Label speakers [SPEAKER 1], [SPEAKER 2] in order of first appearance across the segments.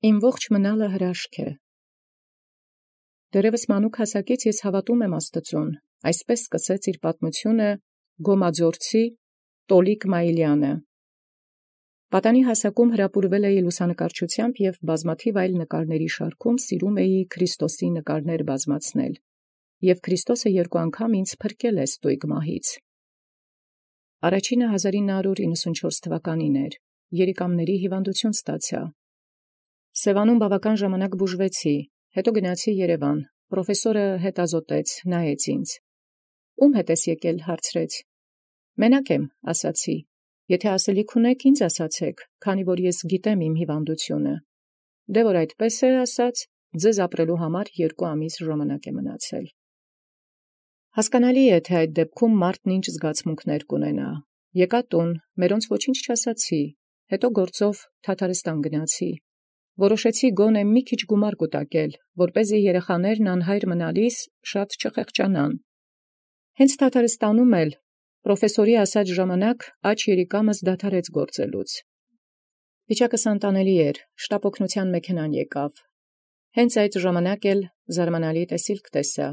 [SPEAKER 1] Իմ ողջ մնալը հրաշք է։ Դեռևս մանուկ հասակից ես հավատում եմ Աստծուն, այսպես սկսեց իր պատմությունը Գոմաձորցի Տոլիկ Մայիլյանը։ Պատանի հասակում հրապուրվել էի լուսանկարչությամբ և բազմաթիվ այլ նկարների շարքում սիրում էի Քրիստոսի նկարներ բազմացնել, և Քրիստոսը երկու անգամ ինձ փրկել է ստույգ մահից։ Առաջինը 1994 թվականին էր, երիկամների հիվանդություն ստացա։ Սևանում բավական ժամանակ բուժվեցի, հետո գնացի Երևան, պրոֆեսորը հետազոտեց, նայեց ինձ։ Ում հետ ես եկել, հարցրեց։ Մենակ եմ, ասացի, եթե ասելիք ունեք, ինձ ասացեք, քանի որ ես գիտեմ իմ հիվանդությունը։ Դե որ այդպես է, ասաց, ձեզ ապրելու համար 2 ամիս ժամանակ է մնացել։ Հասկանալի է, թե այդ դեպքում մարդն ինչ զգացմունքներ կունենա։ Եկա տուն, մերոնց ոչինչ չասացի, հետո գործով Թաթարստան գնացի։ Որոշեցի գոնե մի քիչ գումար կուտակել, որպեսզի երեխաներն անհայր մնալիս շատ չխեղճանան։ Հենց Թաթարստանում էլ պրոֆեսորի ասած ժամանակ աջ երիկամս դադարեց գործելուց։ Վիճակս անտանելի էր, շտապօգնության մեքենան եկավ։ Հենց այդ ժամանակ էլ զարմանալի տեսիլք տեսա։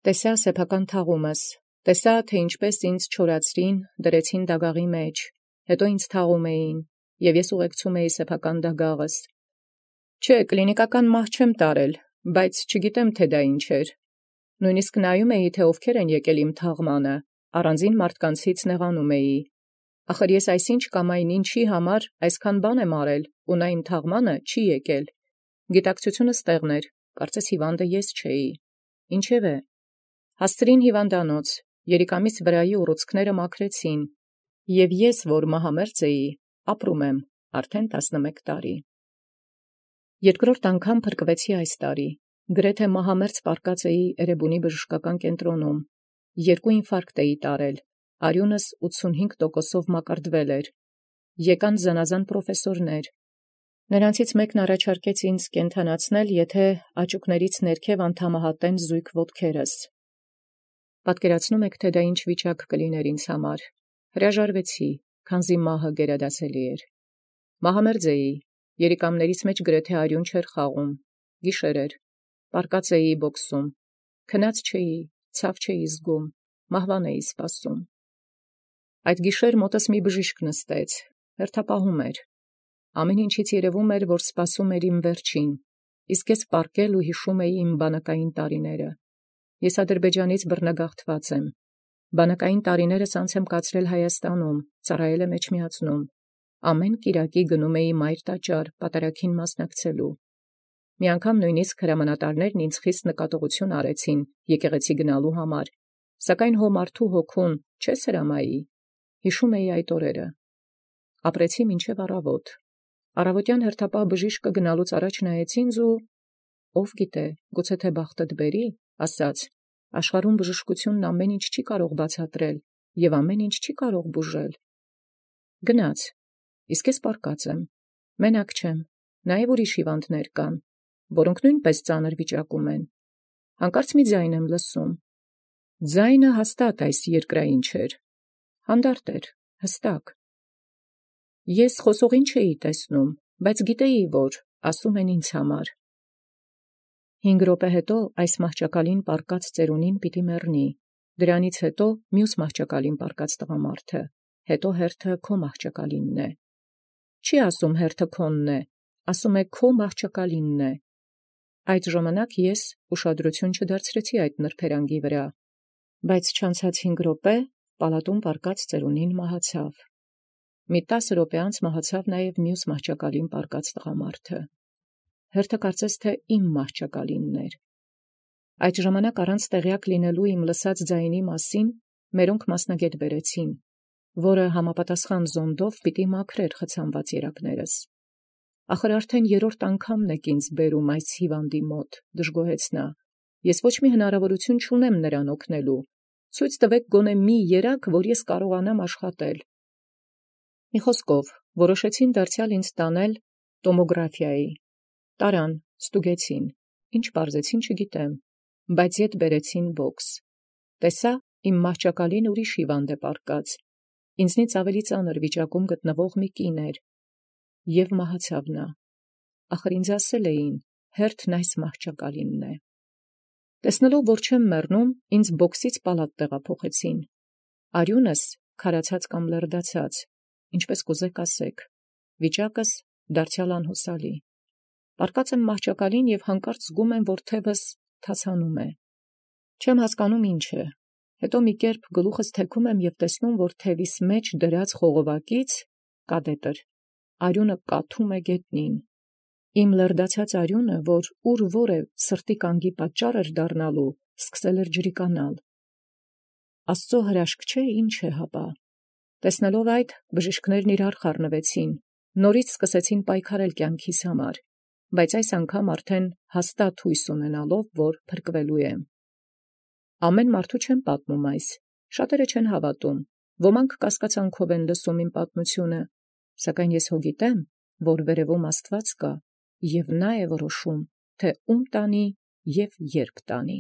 [SPEAKER 1] Տեսա սեփական թաղումս, տեսա, թե ինչպես ինձ չորացրին, դրեցին դագաղի մեջ, հետո ինձ թաղում էին, և ես ուղեկցում էի սեփական դագաղս։ Չէ, կլինիկական մահ չեմ տարել, բայց չգիտեմ, թե դա ինչ էր։ Նույնիսկ նայում էի, թե ովքեր են եկել իմ թաղմանը, առանձին մարդկանցից նեղանում էի։ Ախր ես այսինչ կամ այն ինչի համար այսքան բան եմ արել, ու նա իմ թաղմանը չի եկել։ Գիտակցությունս տեղն էր, կարծես հիվանդը ես չէի։ Ինչևէ, հասցրին հիվանդանոց, երիկամիս վրայի ուռուցքները մաքրեցին, և ես, որ մահամերձ էի, ապրում եմ արդեն 11 տարի։ Երկրորդ անգամ փրկվեցի այս տարի, գրեթե մահամերձ պառկած էի Էրեբունի բժշկական կենտրոնում, 2 ինֆարկտ էի տարել, արյունս 85%-ով մակարդվել էր, եկան զանազան պրոֆեսորներ, նրանցից մեկն առաջարկեց ինձ կենդանացնել, եթե աճուկներից ներքև անդամահատեն զույգ ոտքերս։ Պատկերացնում եք, թե դա ինչ վիճակ կլիներ ինձ համար, հրաժարվեցի, քանզի մահը գերադասելի էր։ Մահամերձ էի, երիկամներիս մեջ գրեթե արյուն չէր խաղում, գիշեր էր, պառկած էի բոքսում, քնած չէի, ցավ չէի զգում, մահվան էի սպասում։ Այդ գիշեր մոտս մի բժիշկ նստեց, հերթապահում էր։ Ամեն ինչից երևում էր, որ սպասում էր իմ վերջին, իսկ ես պառկել ու հիշում էի իմ բանակային տարիները։ Ես Ադրբեջանից բռնագաղթված եմ։ Բանակային տարիներս անց եմ կացրել Հայաստանում, ծառայել եմ Էջմիածնում։ Ամեն կիրակի գնում էի մայր տաճար, պատարագին մասնակցելու։ Մի անգամ նույնիսկ հրամանատարներն ինձ խիստ նկատողություն արեցին եկեղեցի գնալու համար, սակայն հո մարդու հոգուն չես հրամայի։ Հիշում էի այդ օրերը։ Ապրեցի մինչև առավոտ։ Առավոտյան հերթապահ բժիշկը գնալուց առաջ նայեց ինձ ու ով գիտե, գուցե թե բախտդ բերի, ասաց. աշխարհում բժշկությունն ամեն ինչ չի կարող բացատրել և ամեն ինչ չի կարող բուժել։ Գնաց, իսկ ես պառկած եմ, մենակ չեմ, նաև ուրիշ հիվանդներ կան, որոնք նույնպես ծանր վիճակում են։ Հանկարծ մի ձայն եմ լսում։ Ձայնը հաստատ այս երկրային չէր, հանդարտ էր, հստակ։ Ես խոսողին չէի տեսնում, բայց գիտեի, որ ասում են ինձ համար։ 5 րոպե հետո այս մահճակալին պառկած ծերունին պիտի մեռնի, դրանից հետո մյուս մահճակալին պառկած տղամարդը, հետո հերթը քո մահճակալինն է։ Չի ասում հերթը քոնն է, ասում է քո մահճակալինն է։ Այդ ժամանակ ես ուշադրություն չդարձրեցի այդ նրբերանգի վրա, բայց չանցած 5 րոպե պալատում պառկած ծերունին մահացավ։ Մի 10 րոպե անց մահացավ նաև մյուս մահճակալին պառկած տղամարդը։ Հերթը կարծես թե իմ մահճակալինն էր։ Այդ ժամանակ առանց տեղյակ լինելու իմ լսած ձայնի մասին մերոնք մասնագետ բերեցին, որը համապատասխան զոնդով պիտի մաքրեր խցանված երակներս։ Ախր արդեն 3-րդ անգամն եք ինձ բերում այս հիվանդի մոտ, դժգոհեց նա։ Ես ոչ մի հնարավորություն չունեմ նրան օգնելու։ Ցույց տվեք գոնե մի երակ, որ ես կարողանամ աշխատել։ Մի խոսքով, որոշեցին դարձյալ ինձ տանել տոմոգրաֆիայի։ Տարան, ստուգեցին, ինչ պարզեցին չգիտեմ, բայց ետ բերեցին բոքս։ Տեսա, իմ մահճակալին ուրիշ հիվանդ է պառկած, ինձնից ավելի ծանր վիճակում գտնվող մի կին էր, և մահացավ նա։ ախր ինձ ասել էին, հերթն այս մահճակալինն է։ Տեսնելով, որ չեմ մեռնում, ինձ բոքսից պալատ տեղափոխեցին։ Արյունս քարացած կամ լրդացած, ինչպես կուզեք ասեք, վիճակս դարձյալ անհուսալի։ Պառկած եմ մահճակալին և հանկարծ զգում եմ, որ թևս թացանում է։ Չեմ հասկանում ինչ է։ Հետո մի կերպ գլուխս թեքում եմ և տեսնում, որ թևիս մեջ դրած խողովակից կադետր արյունը կաթում է գետնին։ Իմ լրդացած արյունը, որ ուր որ է սրտի կանգի պատճառ էր դառնալու, սկսել էր ջրիկանալ։ Աստծո հրաշք չէ, ինչ է հապա։ Տեսնելով այդ, բժիշկներն իրար խառնվեցին, նորից սկսեցին պայքարել կյանքիս համար, բայց այս անգամ արդեն հաստատ հույս ունենալով, որ փրկվելու եմ։ Ամեն մարդու չեմ պատմում այս, շատերը չեն հավատում, ոմանք կասկածանքով են լսում իմ պատմությունը, սակայն ես հո գիտեմ, որ վերևում Աստված կա, և նա է որոշում, թե ում տանի և երբ տանի։